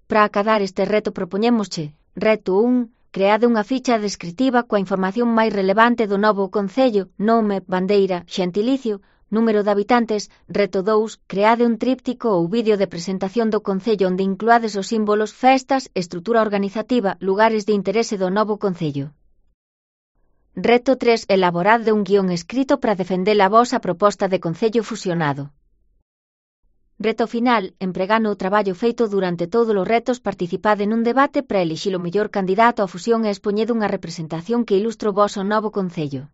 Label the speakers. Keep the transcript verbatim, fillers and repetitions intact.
Speaker 1: Para acadar este reto propoñémosche, reto un, creade unha ficha descritiva coa información máis relevante do novo concello, nome, bandeira, xentilicio, número de habitantes. Reto dous, creade un tríptico ou vídeo de presentación do concello onde incluades os símbolos, festas, estrutura organizativa, lugares de interese do novo concello. Reto tres, elaborade un guión escrito para defender a vosa proposta de concello fusionado. Reto final, empregando o traballo feito durante todos os retos, participade nun debate para elixir o mellor candidato á fusión e expoñede unha representación que ilustre o voso novo concello.